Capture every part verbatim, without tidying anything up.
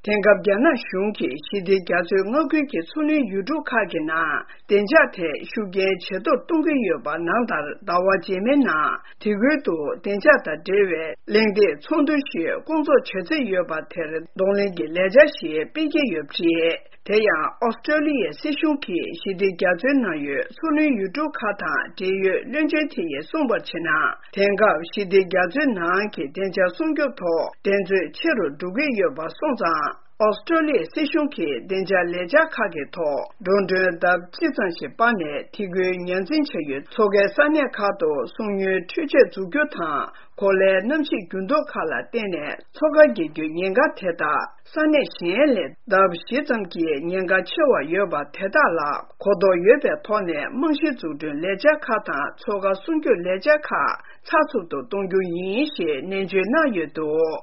དེང་སྐབས་རྒྱ་ནག་གཞུང་གིས་ཞི་བདེ་རྒྱ་མཚོའི་མངའ་ཁུལ་གྱི་མཚོ་གླིང་ཡུལ་གྲུ་ཁག་གི་ནང་བདེ་འཇགས་ཐད་ཤུགས་རྐྱེན་ཇེ་མཐོར་གཏོང་གི་ཡོད་པ་ནང་ལྟར། ཟླ་བ་རྗེས་མའི་ནང་དེ་ཁུལ་དུ་བདེ་འཇགས་དང་འབྲེལ་བའི་གླེང་སྟེགས་ཚོགས་འདུ་ཞིག་སྐོང་ཚོགས་བྱ་རྩིས་ཡོད་པ་དེར་གདོང་ལེན་གྱི་ལས་འཆར་ཞིག་སྤེལ་གྱི་ཡོད་པ་རེད། དེ་ཡང་ཨོ་སི་ཀྲོ་ལི་ཡའི་སྲིད་གཞུང་གིས་ཞི་བདེ་རྒྱ་མཚོའི་ནང་ཡོད་མཚོ་གླིང་ཡུལ་གྲུ་ཁག་དང་འབྲེལ་ཡོད་བློན་ཆེན་དེ་ཡིས་གསུངས་པར་བྱས་ན། དེང་སྐབས་ཞི་བདེ་རྒྱ་མཚོའི་ནང་གི་བདེ་འཇགས་སྲུང་སྐྱོབ་ཐོག་འགྲན་རྩོད་ཆེ་རུ་འགྲོ་གི་ཡོད་པ་སོང་ཙང་། ཨོ་སི་ཀྲོ་ལི་ཡའི་སྲིད་གཞུང་གིས་བདེ་འཇགས་ལས་འཆར་ཁག་གི་ཐོག་འགྲོ་གྲོན་ལྡབ་གཅིག་ཙམ་ཞིག་སྤར་ནས། དེ་ཁུལ་ཉར་འཛིན་བྱ་ཡུལ་མཚོ་ཁའི་ས་གནས་ཁག་ཏུ་སྲུང་ཡོལ་འཕྲུལ་ཆས་འཛུགས་རྒྱུ་དང་། གོ་ལའི་གནམ་གཤིས་འགྱུར་ལྡོག་ཁག་ལ་བརྟེན་ནས་མཚོ་ཁ་རྒྱས་རྒྱུའི་ཉེན་ཁ་དེ་དག་ས་གནས་གཞན་ལས་ལྡབ་བཞི་ཙམ་གྱིས་ཉེན་ཁ་ཆེ་བ་ཡོད་པ་དེ་དག་ལ་གོ་རྟོགས་ཡོད་པའི་ཐོག་ནས། རྨང་གཞི་འཛུགས་སྐྲུན་ལས་འཆར་ཁག་དང་མཚོ་ཁ་སྲུང་སྐྱོབ་ལས་འཆར་ཁག་ཚགས་ཚུད་དུ་གཏོང་རྒྱུ་ཡིན་ཞེས་ནན་བརྗོད་གནང་ཡོད་འདུག་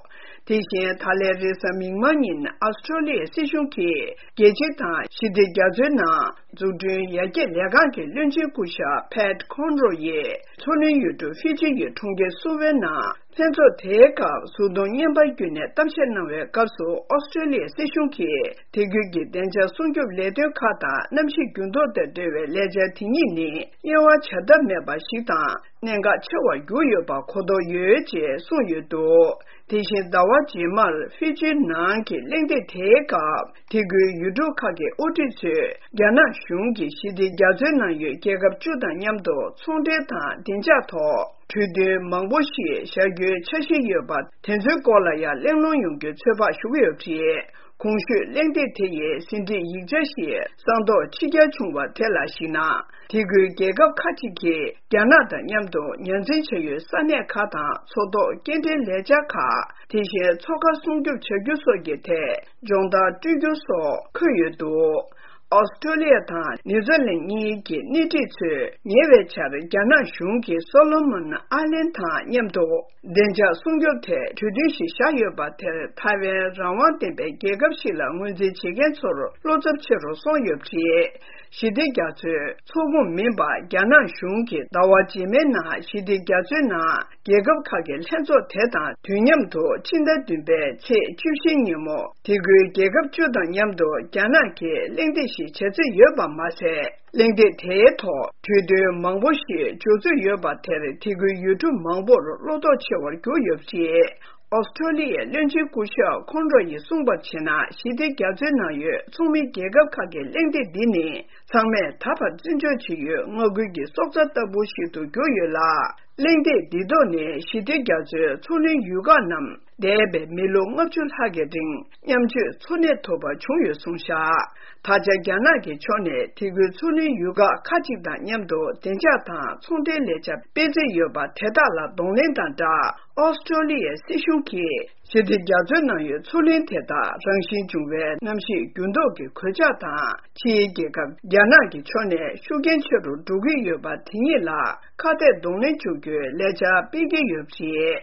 དེ་བཞིན་ད་ལན་རེས་གཟའ་མིག་དམར་ཉིན་ཨ་སི་ཀྲོ་ལི་ཡའི་སྲིད་གཞུང་གིས་རྒྱལ་སྤྱི་དང་ཞི་བདེ་རྒྱ་མཚོའི་ནང་འཛུགས་སྐྲུན་ཡར་རྒྱས་ལས་ཁང་གི་བློན་ཆེན་སྐུ་ཞབས་Pat Conroy ཡིས་མཚོ་གླིང་ཡུལ་གྲུ་ཧྥི་ཇི་ཡི་གྲོང་ཁྱེར་སུ་ཝེ་ནང་ལྷན་ཚོགས་དེའི་སྐབས་གཟུགས་མཐོང་བརྙན་པར་བརྒྱུད་ནས་གཏམ་བཤད་གནང་བའི་སྐབས་སུ། ཨོ་སི་ཀྲོ་ལི་ཡའི་སྲིད་གཞུང་གིས་དེ་ཁུལ་གྱི་བདེ་འཇགས་སྲུང་སྐྱོབ་ལས་དོན་ཁག་དང་གནམ་གཤིས་འགྱུར་ལྡོག་དང་འབྲེལ་བའི་ལས་འཆར་དེ་གཉིས་ནི་དབྱེ་བ་བྱ་ཐབས་མེད་པ་ཞིག་དང་། གནད་འགག་ཆེ་བར་གྱུར་ཡོད་པ་གོ་རྟོགས་ཡོད་ཅེས་གསུངས་ཡོད་འདུག་དེ་བཞིན་ཟླ་བ་རྗེས་མར་ཧྥི་ཇི་ནང་གི་གླེང་སྟེགས་དེའི་སྐབས། དེ་ཁུལ་ཡུལ་གྲུ་ཁག་གི་དབུ་ཁྲིད་ཚོས་རྒྱ་ནག་གཞུང་གིས་ཞི་བདེ་རྒྱ་མཚོའི་ནང་ཡོད་རྒྱལ་ཁབ་བཅུ་དང་མཉམ་དུ་ཚོང་འབྲེལ་དང་བདེ་འཇགས་ཐོག་གྲོས་མཐུན་མང་པོ་ཞིག་བཞག་རྒྱུའི་འཆར་གཞི་ཡོད་པ་དེ་ཚོའི་སྐོར་ལ་ཡང་གླེང་སློང་ཡོང་རྒྱུའི་ཚོད་དཔག་ཞུ་གི་ཡོད་པ་རེད། གོང་ཞུས་གླེང་སྟེགས་དེ་ཡི་ཟིན་བྲིས་ཡིག་ཆ་ཞིག་གསང་རྟོགས་ཕྱི་གྱར་བྱུང་བ་དེ་ལ་གཞིགས་ན། དེ་ཁུལ་རྒྱལ་ཁབ་ཁག་ཅིག་གིས་རྒྱ་ནག་དང་མཉམ་དུ་ཉར་འཛིན་བྱ་ཡུལ་ས་གནས་ཁག་དང་མཚོ་ཐོག་སྐྱེལ་འདྲེན་ལས་འཆར་ཁག་དེ་བཞིན་མཚོ་ཁ་སྲུང་སྐྱོབ་བྱ་རྒྱུ་སོགས་ཀྱི་ཐད་སྦྱོང་བརྡར་སྤྲོད་རྒྱུ་སོགས་འཁོད་ཡོད་འདུག་ཨོ་སི་ཀྲོ་ལི་ཡ་དང་ནེ་ཐར་ལེན་གཉིས་ཀྱི་སྣེ་ཁྲིད་ཚོས་ཉེ་བའི་ཆར་རྒྱ་ནག་གཞུང་གིས་སོ་ལོ་མོན་ཨའི་ལན་དང་མཉམ་དུ་བདེ་འཇགས་སྲུང་སྐྱོབ་ཐད་གྲོས་མཐུན་ཞིག་བཞག་ཡོད་པ་དེར། ཐའེ་ཝན་རང་དབང་ལྡན་པའི་རྒྱལ་ཁབ་ཞིག་ལ་ངོས་འཛིན་བྱེད་མཁན་ཚོར་བློ་འཚབ་ཆེ་རུ་སོང་ཡོད་པ་རེད། ཞི་བདེ་རྒྱ་མཚོའི་ཚོགས་ཁོངས་མིན་པ་རྒྱ་ནག་གཞུང་གིས་ཟླ་བ་རྗེས་མའི་ནང་ཞི་བདེ་རྒྱ་མཚོའི་ནང་རྒྱལ་ཁབ་ཁག་གི་ལྷན་ཚོགས་དེ་དང་དུས་མཉམ་དུ་ཕྱི་ཟླ་བདུན་པའི་ཚེས་བཅུ་བཞི་ཉིན་མོ་དེ་ཁུལ་རྒྱལ་ཁབ་བཅུ་དང་མཉམ་དུ་རྒྱ་ནག་གིས་གླེང་སྟེགས་ཤིག་བྱ་རྩིས་ཡོད་པ་མ་ཟད། གླེང་སྟེགས་དེའི་ཐོག་གྲོས་མཐུན་མང་པོ་ཞིག་འཇོག་རྩིས་ཡོད་པ་དེར། དེ་ཁུལ་ཡུལ་གྲུ་མང་པོར་བློ་དོགས་ཆེ་བར་གྱུར་ཡོད་པ་རེད། ཨོ་སི་ཀྲོ་ལི་ཡའི་བློན་ཆེན་སྐུ་ཞབས་ཁོན་རོ་ཡིས་གསུངས་པར་བྱས་ན། ཞི་བདེ་རྒྱ་མཚོའི་ནང་ཡོད་ཚོགས་མི་རྒྱལ་ཁབ་ཁག་གི་གླེང་སྟེགས་འདི་ནི་ཚང་མས་ད་བར་བརྩི་འཇོག་བྱེད་ཡུལ་མངའ་ཁུལ་གྱི་སྲོག་རྩ་ལྟ་བུ་ཞིག་ཏུ་གྱུར་ཡོད་ལ། གླེང་སྟེགས་འདི་ཐོག་ནས་ཞི་བདེ་རྒྱ་མཚོའི་མཚོ་གླིང་ཡུལ་ཁག་རྣམས་འདས་པའི་མི་ལོ་ལྔ་བཅུ་ལྷག་གི་རིང་མཉམ་སྤྱོད་འཚོ་གནས་ཐུབ་པ་བྱུང་ཡོད་གསུངས་བཞག་ད་ཆ་རྒྱ་ནག་གི་ཕྱོགས་ནས་དེ་ཁུལ་མཚོ་གླིང་ཡུལ་ཁག་ཁག་ཅིག་དང་མཉམ་དུ་བདེ་འཇགས་དང་ཚོང་འབྲེལ་ལས་འཆར་སྤེལ་རྩིས་ཡོད་པ་དེ་དག་ལ་གདོང་ལེན་དང་སྦྲགས། ཨོ་སི་ཀྲོ་ལི་ཡའི་སྲིད་གཞུང་གིས་ཞི་བདེ་རྒྱ་མཚོའི་ནང་ཡོད་མཚོ་གླིང་དེ་དག་རང་བཞིན་བྱུང་བའི་གནམ་གཤིས་འགྱུར་ལྡོག་གི་གོད་ཆག་དང་། ཕྱིའི་རྒྱལ་ཁབ་རྒྱ་ནག་གི་ཕྱོགས་ནས་ཤུགས་རྐྱེན་ཆེ་རུ་འགྲོ་གི་ཡོད་པ་དེ་གཉིས་ལ་ཁ་གཏད་གདོང་ལེན་བྱ་རྒྱུའི་ལས་འཆར་སྤེལ་གྱི་ཡོད་པ་རེད།